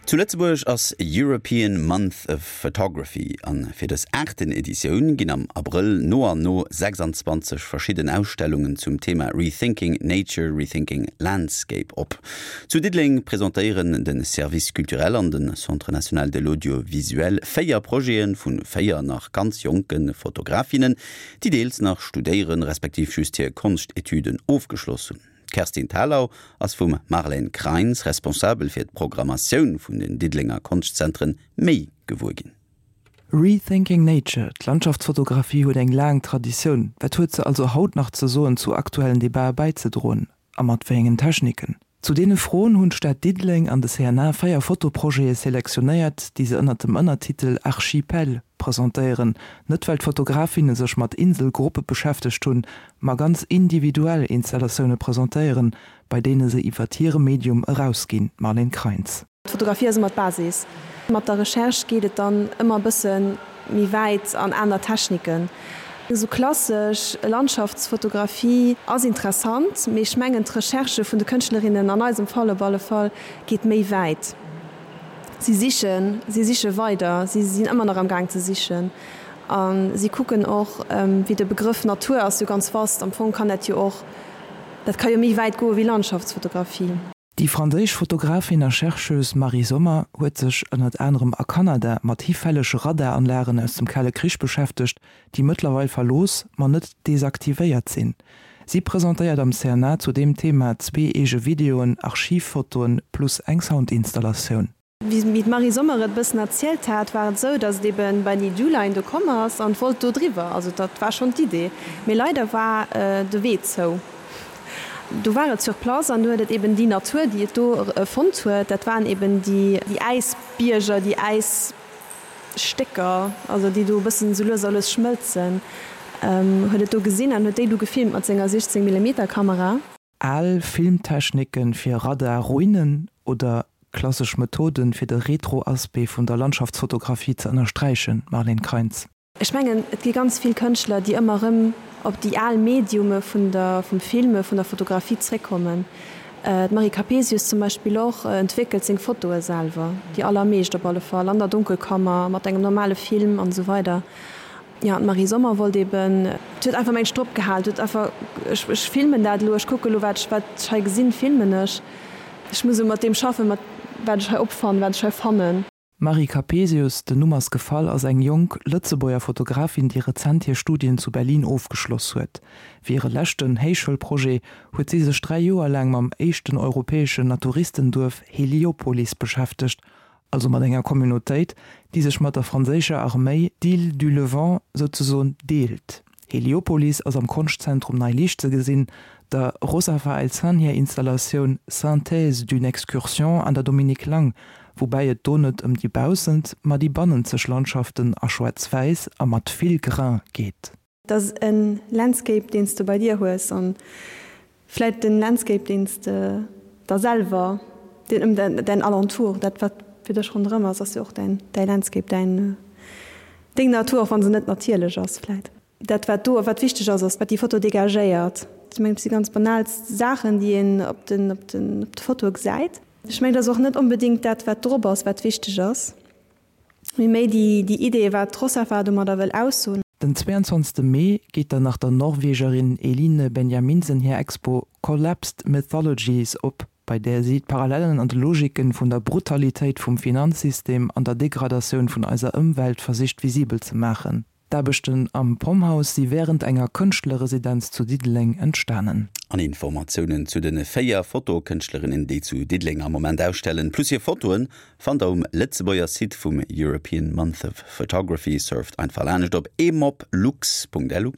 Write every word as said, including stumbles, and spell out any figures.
Zu Lëtzebuerg ass European Month of Photography an fir dës aachten Editioun ginn am Abrëll no an no sechsanzwanzeg verschidden Ausstellungen zum Thema Rethinking Nature, Rethinking Landscape op. Zu Diddeleng presentéieren de Service culturel an de Centre national de l'audiovisuel véier Projete vu véier nach ganz jonke Fotografinnen, déi deels nach studéieren, respektiv just hir Konschtetüden ofgeschloss hunn. D'Kerstin Thalau ass vum Marlène Kreins, Responsabel fir d'Programmatioun vun den Diddelenger Konschtzentren, méi gewuer ginn. Rethinking Nature, D'Landschaftsfotografie huet eng laang Traditioun. Wat huet se also haut nach ze soen, zu aktuellen Debatte bäizedroen? A mat wéi engen Techniken? Zu deene Froen hunn d'Stad Diddeleng an de C N A véier Fotoprojete selektionéiert, déi se ënnert dem Ënnertitel Archipel presentéieren. Net well d'Fotografinne sech mat Inselgruppe beschäftegt hunn, ma ganz individuell Installatioune presentéieren, bei deene se iwwer hire Medium erausginn. Marlène Kreins. D'Fotografie ass ëmmer d'Basis. Mat der Recherche geet et dann ëmmer e bësse méi wäit an aner Techniken. Esou klassesch Landschaftsfotografie ass interessant, mee ech mengen d'Recherche vun de Kënschtlerinnen, an eisem Fall op alle Fall, geet méi wäit. Si sichen, si siche weider, si sinn ëmmer nach am Gaang ze sichen. A si kucken och, wéi de Begrëff Natur ass jo ganz vast, am Fong kann dat jo och, dat ka jo méi wäit goe wéi Landschaftsfotografie. Déi franséisch Fotografin a Chercheuse Marie Sommer huet sech ënnert anerem a Kanada mat hifällege Radaranlagen aus dem Kale Krich beschäftegt, déi mëttlerweil verlooss, ma net desaktivéiert sinn. Si presentéiert am C N A zu deem Thema zwee eege Videoen, Archivfotoen plus eng Soundinstallatioun. Wéi d'Marie Sommer et e bëssen erzielt hat, war et esou, datt et ebe bei déi Dewline do komm ass an wollt do driwwer. Also dat war schonn d'Idee. Mee leider war de Wee zou. Do war et sur place an do huet et eben déi Natur, déi et do fonnt huet, dat waren eben déi Äisbierger, déi Äisstécker, also déi do e bëssen esou lues a lues schmëlzen, huet et do gesinn an huet déi du gefilmt mat senger siechzéng Millimeter Kamera. Al Filmtechniken fir Radar-Ruinen oder klassesch Methoden fir de Retro-Aspect vun der Landschaftsfotografie ze ënnersträichen, Marlène Kreins. Ech mengen, et gi ganz vill Kënschtler, déi ëmmer erëm op déi al Mediume vun der, vum Filme, vun der Fotografie zréckkommen. D'Marie Capesius zum Beispill och entwéckelt seng Fotoe selwer, déi allermeescht op alle Fall, an der Dunkelkammer, mat engem normale Film an esou weider. Jo, an d'Marie Sommer wollt eben, huet einfach mengt drop gehal, huet einfach, ech, ech filmen dat elo, ech kucke elo, wat ech, wat ech hei gesinn, filmen ech. Ech muss elo mat deem schaffen, mat wat ech hei opfannen, wat ech hei fannen. D'Marie Capesius, den Numm ass gefall, ass eng jonk Lëtzebuerger Fotografin, déi rezent hir Studien zu Berlin ofgeschloss huet. Fir hire leschten Héichschoulprojet huet si sech dräi Joer laang mam éischten europäeschen Naturistenduerf Heliopolis beschäftegt, also mat enger Communautéit, déi sech mat der franséischer Arméi d'Île du Levant souzesoen deelt. Heliopolis ass am Konschtzentrum Nei Liicht ze gesinn, der Rosafa Elsan hir Installatioun Synthèse d'une excursion an der Dominique Lang, woubäi et do net ëm déi baussent, ma déi bannenzeg Landschaften a Schwaarz-Wäiss a mat vill Grain geet. Dat ass e Landscape, deen s de bei dir hues, an vläit den Landscape, deen s de der selwer, deen ëm däin Alentour, dat wat fir dech ronderëm ass, ass jo och däin däi Landscape, däin deng Natur, och wa se net natierlech ass vläit. Dat wat do wat wichteg ass, ass wat déi Foto dégagéiert. Ech mengen, et si ganz banal Saachen, déi een op den op den op de Fotoe gesäit. Ech mengen, et ass och net onbedéngt dat, wat drop ass, wat wichteg ass, mee méi déi déi Idee, wat d'Rosafa domadder wëll aussoen. Den zweiandzwanzegste Mee geet dann nach der Norwegerin Eline Benjaminsen hir Expo Collapsed Mythologies op, bei där si d'Parallellen an de Logiken vun der Brutalitéit vum Finanzsystem an der Degradatioun vun eiser Ëmwelt versicht visibel ze maachen. D'Aarbechten am Pomhouse si wärend enger Kënschtlerresidenz zu Diddeleng entstanen. An Informatiounen zu de véier Fotokënschtlerinnen, déi zu Diddeleng am Moment ausstellen, plus hir Fotoen, fannt der um Lëtzebuerger Site vum European Month of Photography. Surft einfach laanscht op emoplux Punkt lu.